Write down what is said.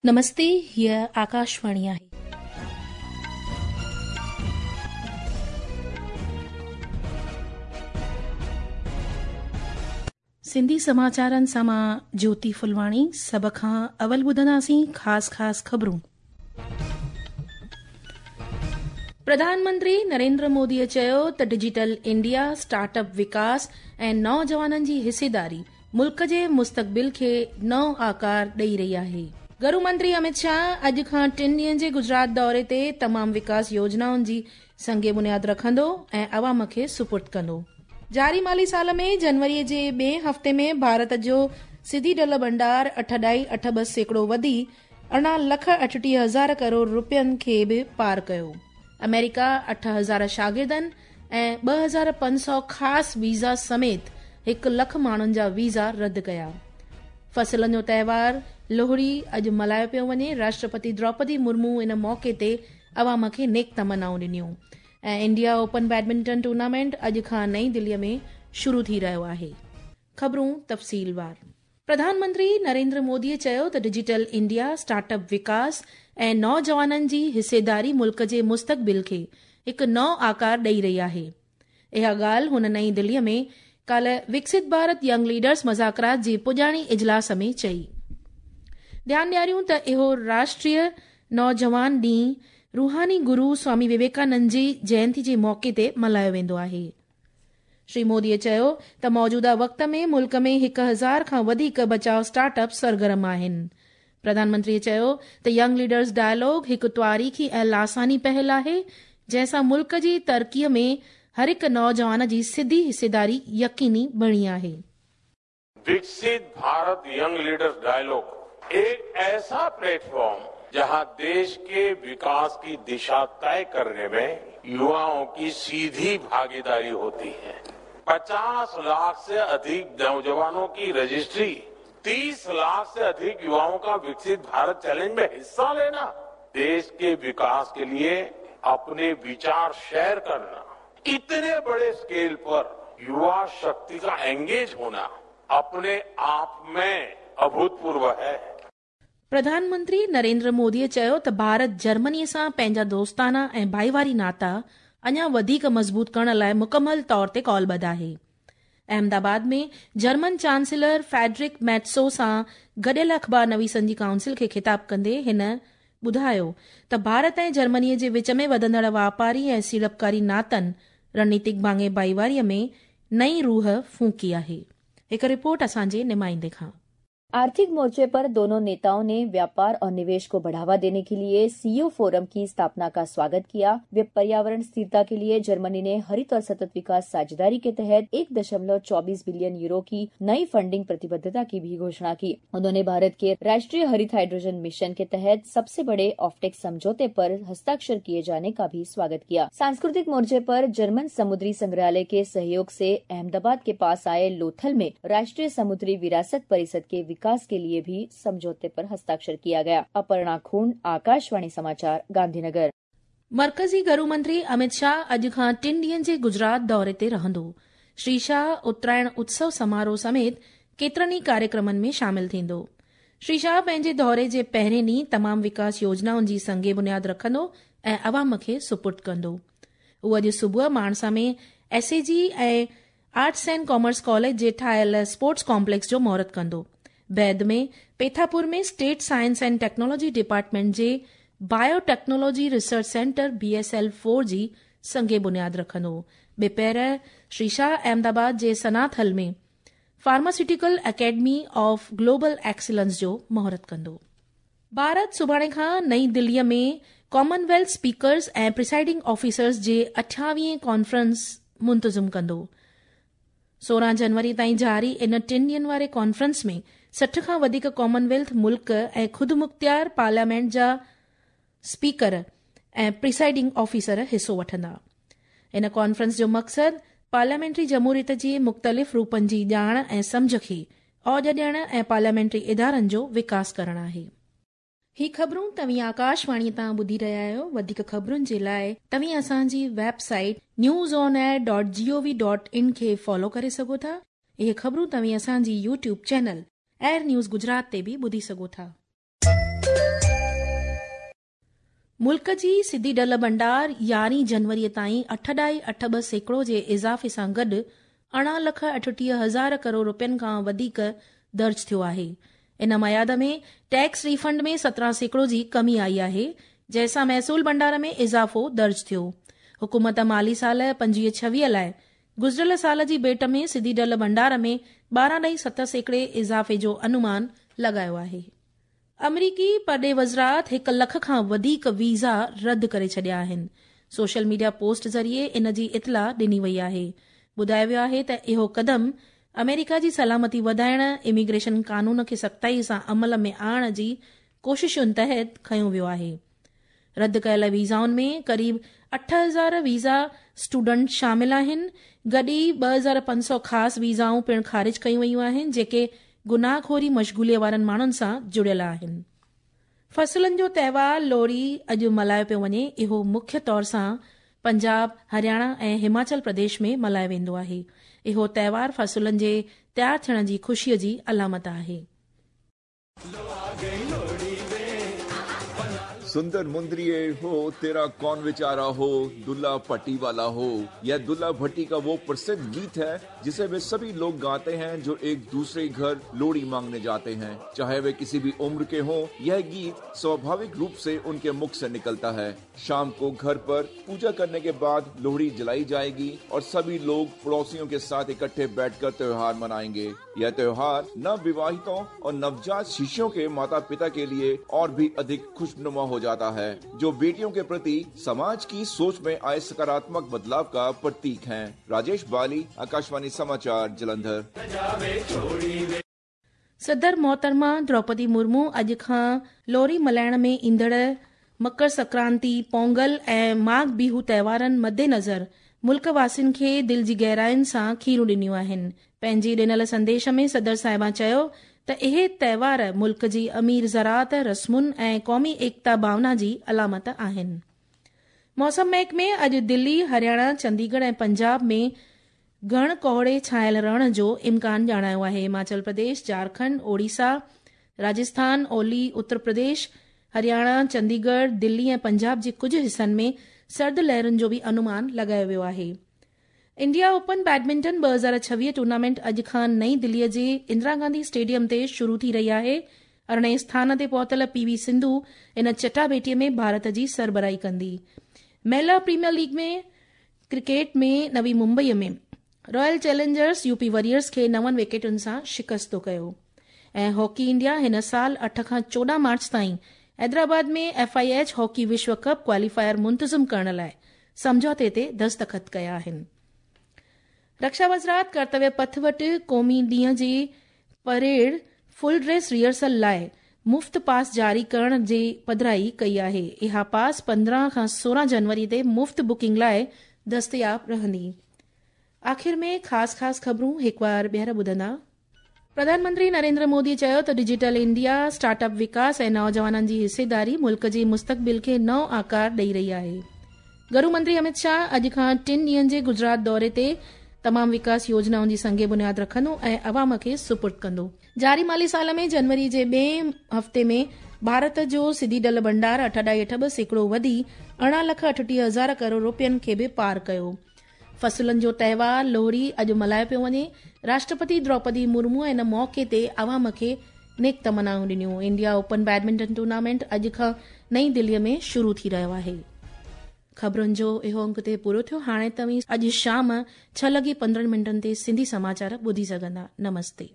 نمستي هيء آڪاشواڻي آهي. سنڌي سماچارن سان مان جوتي ڦلواڻي سڀ کان اول ٻڌنداسين خاص خاص خبرون. پرڌان منتري نريندر موديء چيو ته ڊجيٽل انڊيا، اسٽارٽ اپ وڪاس ۽ نوجوانن جي حصيداري ملڪ جي مستقبل کي نئون آڪار ڏئي رهي آهي. گهرو منتري امت شاهه اڄ کان ٽن ڏينهن جي گجرات دوري تي تمام وڪاس يوجنائن جي سنگ بنياد رکندو ۽ عوام کي سپرد ڪندو. جاري مالي سال ۾ جنوري جي ٻئين هفتي ۾ ڀارت جو سڌي ڍل ڀنڊار 8.82% وڌي 18 لک 38 هزار ڪروڙ رپين کي به پار ڪيو. آمريڪا 8000 شاگردن ۽ 2500 خاص ويزا سميت 1 لک ماڻهن جا ويزا رد ڪيا. فصلن جو تهوار لوهڙي اڄ ملهايو پيو وڃي، راشٽرپتي دروپدي مرمو ان موقعي تي عوام کي نيڪ تمنائون ڏنيون ۽ انڊيا اوپن بيڊمنٽن ٽورنامينٽ اڄ کان نئين دلي ۾ شروع ٿي رهيو آهي. خبرون تفصيلوار. پرڌان منتري نريندر مودي چيو ته ڊجيٽل انڊيا، اسٽارٽ اپ وڪاس ۽ نوجوانن جي حصيداري ملڪ جي مستقبل کي هڪ نئون آڪار ڏئي رهي آهي. اها ڳالهه هن نئين دلي ۾ ڪالهه وڪست ڀارت ينگ ليڊرز مذاڪرات جي پڄاڻي اجلاس ۾ چئي. ڌيان ڏياريون ته اهو راشٽريه نوجوان ڏينهن روحاني گرو سوامي وويڪانند جي جينتي جي موقعي تي ملهايو ويندو آهي. شري مودي چيو ته موجوده وقت ۾ ملڪ ۾ 1000 کان وڌيڪ بچاء اسٽارٽ اپ سرگرم آهن. پرڌان منتري چيو ته ينگ ليڊرز ڊائلاگ هڪ تواريخي ۽ لاثاني پهل آهي، جنهن سان ملڪ جي ترقي ۾ هر هڪ نوجوان جي سڌي حصيداري يقيني بڻي آهي. विकसित भारत यंग लीडर्स डायलॉग एक ऐसा प्लेटफॉर्म जहां देश के विकास की दिशा तय करने में युवाओं की सीधी भागीदारी होती है। 50 लाख से अधिक नौजवानों की रजिस्ट्री, 30 लाख से अधिक युवाओं का विकसित भारत चैलेंज में हिस्सा लेना, देश के विकास के लिए अपने विचार शेयर करना, इतने बड़े स्केल पर युवा शक्ति का एंगेज होना अपने आप में अभूतपूर्व है। پرڌان منتري نريندر مودي چيو ته ڀارت جرمني سان پنهنجا دوستانا ۽ ڀائيواري ناتا اڃا وڌيڪ مضبوط ڪرڻ لاءِ مڪمل طور تي قولبڌ آهي. احمدآباد ۾ جرمن چانسلر فيڊرڪ ميٽسو سان گڏيل اخبار نويسن جي ڪائونسل کي خطاب ڪندي هن ٻڌايو ته ڀارت ۽ جرمني جي وچ ۾ وڌندڙ واپاري ۽ سيڙپڪاري ناتن رڻنيتڪ ڀاڱي ڀائيواري ۾ نئين روح ڦوڪي آهي. هڪ رپورٽ اسان جي نمائندي کان. आर्थिक मोर्चे पर दोनों नेताओं ने व्यापार और निवेश को बढ़ावा देने के लिए सीईओ फोरम की स्थापना का स्वागत किया। वे पर्यावरण स्थिरता के लिए जर्मनी ने हरित और सतत विकास साझेदारी के तहत 1.24 बिलियन यूरो की नई फंडिंग प्रतिबद्धता की भी घोषणा की। उन्होंने भारत के राष्ट्रीय हरित हाइड्रोजन मिशन के तहत सबसे बड़े ऑफटेक समझौते पर हस्ताक्षर किए जाने का भी स्वागत किया। सांस्कृतिक मोर्चे पर जर्मन समुद्री संग्रहालय के सहयोग से अहमदाबाद के पास आए लोथल में राष्ट्रीय समुद्री विरासत परिषद के विकास के लिए भी समझौते पर हस्ताक्षर किया गया। अपर्णा खून, आकाशवाणी समाचार, गांधीनगर। मर्कज़ी گهرو منتري امت شاهه اڄ کان ٽن ڏينهن جي گجرات دوري تي رهندو. شري شاهه اترائڻ اتسو سماروهه سميت ڪيترن ئي ڪاريڪرمن ۾ شامل ٿيندو. شري شاهه پنهنجي دوري جي پهرين ڏينهن تمام وڪاس يوجنائن جي سنگ بنياد رکندو ۽ عوام کي سپرد ڪندو. هو اڄ صبح ماڻسا ۾ S A G ۽ arts and commerce college جي ٺاهيل اسپورٽس ڪامپليڪس جو مهورت ڪندو. بعد ۾ Pethapur ۾ state science and technology department جي bio technology research centre B S L four جي سنگ بنياد رکندو. ٻپهر شري شاهه احمدآباد جي Sanathal ۾ pharmaceutical academy of global excellence جو مهورت ڪندو. ڀارت سڀاڻي کان نئين دلي ۾ ڪامن ويلٿ اسپيڪرز ۽ پريسائيڊنگ officers جي 28هين ڪانفرنس منتظم ڪندو. 16 جنوري تائين جاري ان ٽن ڏينهن واري ڪانفرنس ۾ 60 کان وڌيڪ ڪامن ويلٿ ملڪ ۽ خودمختيار پارليامينٽ جا اسپيڪر ۽ پريسائيڊنگ آفيسر حصو وٺندا. ان ڪانفرنس جو مقصد پارليامينٽري جمهوريت جي مختلف روپن جي ڄاڻ ۽ سمجهه کي اوج ڏيڻ ۽ پارليامينٽري ادارن جو وڪاس ڪرڻ آهي. هي خبرون توهين آڪاشواڻي تان ٻڌي رهيا آهيو. وڌيڪ خبرن جي لاء توهين اسان جي website news on air dot G O V dot in کي فالو ڪري سگهو ٿا. اهي خبرون توهين اسان جي YouTube channel air news Gujarat تي به ٻڌي سگهو ٿا. ملڪ جي سڌي ڍل ڀنڊار يارهين جنوري تائين 8.82% جي اضافي سان گڏ 18,38,000 ڪروڙ رپين کان وڌيڪ درج ٿيو آهي. ان ميعاد ۾ ٽيڪس ريفنڊ ۾ 17% جي ڪمي آئي آهي، جنهن سان محصول ڀنڊار ۾ اضافو درج ٿيو. حڪومت مالي سال 25-26 لاء گذريل سال جي ڀيٽ ۾ سڌي ڍل ڀنڊار ۾ 12.7% اضافي جو انومان لڳايو آهي. آمريڪي پرڏيهه وزارت هڪ لک کان وڌيڪ ويزا رد ڪري ڇڏيا آهن. سوشل ميڊيا پوسٽ ذريعي ان جي اطلاع ڏني وئي آهي. ٻڌايو ويو آهي ته اهو قدم آمريڪا جي سلامتي وڌائڻ، اميگريشن قانون کي سختائي سان عمل ۾ آڻڻ جي ڪوششن تحت کنيو ويو آهي. رد ڪيل ويزائن ۾ قريب 8000 ويزا اسٽوڊنٽ شامل آهن، گڏ ئي 2500 خاص ويزائون پڻ خارج ڪيون ويون آهن، جيڪي گناهه خوري مشغوليء وارن ماڻهن سان جڙيل آهن. فصلن جو تهوار لوهڙي اڄ ملهايو پيو وڃي. اهو مکيه طور سان پنجاب، هرياڻا ۽ هماچل پرديش ۾ ملهايو ويندو آهي. اهو تهوار فصلن جي تيار ٿيڻ جي خوشيء جي علامت آهي. सुंदर मुंदरिये हो तेरा कौन विचारा हो दुल्ला पट्टी वाला हो। यह दुल्ला भट्टी का वो प्रसिद्ध गीत है जिसे वे सभी लोग गाते हैं जो एक दूसरे घर लोहड़ी मांगने जाते हैं, चाहे वे किसी भी उम्र के हों। यह गीत स्वाभाविक रूप से उनके मुख से निकलता है। शाम को घर पर पूजा करने के बाद लोहड़ी जलाई जाएगी और सभी लोग पड़ोसियों के साथ इकट्ठे बैठकर त्योहार मनाएंगे। यह त्योहार नव विवाहितों और नवजात शिशुओं के माता पिता के लिए और भी अधिक खुशनुमा हो जाता है, जो बेटियों के प्रति समाज की सोच में आए सकारात्मक बदलाव का प्रतीक हैं। राजेश बाली, आकाशवाणी समाचार, जलंधर। सदर मोहतरमा द्रौपदी मुर्मू अॼु खां लोहड़ी मल्हाइण में ईंदड़ मकर संक्रांति, पोंगल ऐं माघ बिहू त्योहारनि मद्देनज़र मुल्क वासियुनि खे दिलि जी गहराइयुनि सां खीरूं ॾिनियूं आहिनि। पंहिंजे ॾिनल संदेश में सदर साहिबा चयो त इहे त्योहार मुल्क जी अमीर ज़राअत, रस्मुनि ऐं क़ौमी एकता भावना जी अलामत आहिनि। मौसम महकमे अॼु दिल्ली, हरियाणा, चंडीगढ़ ऐं पंजाब में घण कोहड़े छायल रहण जो इम्कान ॼाणायो आहे। हिमाचल प्रदेश, झारखंड, ओडिशा, राजस्थान, ओली, उत्तर प्रदेश, हरियाणा, चंडीगढ़, दिल्ली ऐं पंजाब जे कुझु हिसनि में सर्द लहरुनि जो बि अनुमान लॻायो वियो आहे। इंडिया ओपन बैडमिंटन 2026 टूर्नामेंट अॼु खां नई दिल्लीअ जे इंदिरा गांधी स्टेडियम ते शुरू थी रही आहे। 18हें स्थान ते पहुतल पीवी सिंधु इन चटाभेटीअ में भारत जी सरबराही कंदी। महिला प्रीमियर लीग में क्रिकेट में नवी मुंबईअ में रॉयल चैलेंजर्स यूपी वॉरियर्स खे 9 विकेटुनि सां शिकस्तो कयो। ऐं हॉकी इंडिया हिन साल 8 खां 14 मार्च ताईं हैदराबाद में एफआईएच हॉकी विश्व कप क्वालीफायर मुंतज़िम करण लाइ सम्झौते ते दस्तख़त कया आहिनि। रक्षा वज़ारत कर्तव्य पथ वटि क़ौमी ॾींहं जी परेड फुल ड्रेस रिहर्सल लाइ मुफ़्त पास जारी करण जी पधराई कई आहे। इहा पास 15 खां 16 जनवरी ते मुफ़्त बुकिंग लाइ दस्तयाब रहंदी। आख़िर में ख़ासि ख़ासि ख़बरूं हिकु बार ॿीहर ॿुधंदा। प्रधानमंत्री नरेंद्र मोदी चयो त डिजिटल इंडिया, स्टार्टअप विकास ऐं नौजवाननि जी हिस्सेदारी मुल्क जी मुस्तक़बिल खे नओं आकार ॾेई रही आहे। गृह मंत्री अमित शाह अॼु खां 3 ॾींहंनि जे गुजरात दौरे ते तमाम विकास योजनाउनि जी संगे बुनियाद रखंदो ऐं अवाम खे सुपुर्द कंदो। जारी माली साल में जनवरी जे ॿिए हफ़्ते में भारत जो सिधी ढल भंडार 8.82% वधी 18,38,000 करोड़ रुपयनि खे बि पार कयो। फसलनि जो त्योहार लोहड़ी अॼु मल्हायो पियो वञे। राष्ट्रपति द्रौपदी मुर्मू इन मौक़े ते अवाम खे नेक तमनाऊं ॾिनियूं। इंडिया ओपन बैडमिंटन टूर्नामेंट अॼु खां नई दिल्लीअ में शुरू थी रहियो आहे। ख़बरुनि जो इहो अंक ते पूरो थियो। हाणे तव्हीं अॼु शाम 6:15 ते सिंधी समाचार ॿुधी सघंदा। नमस्ते।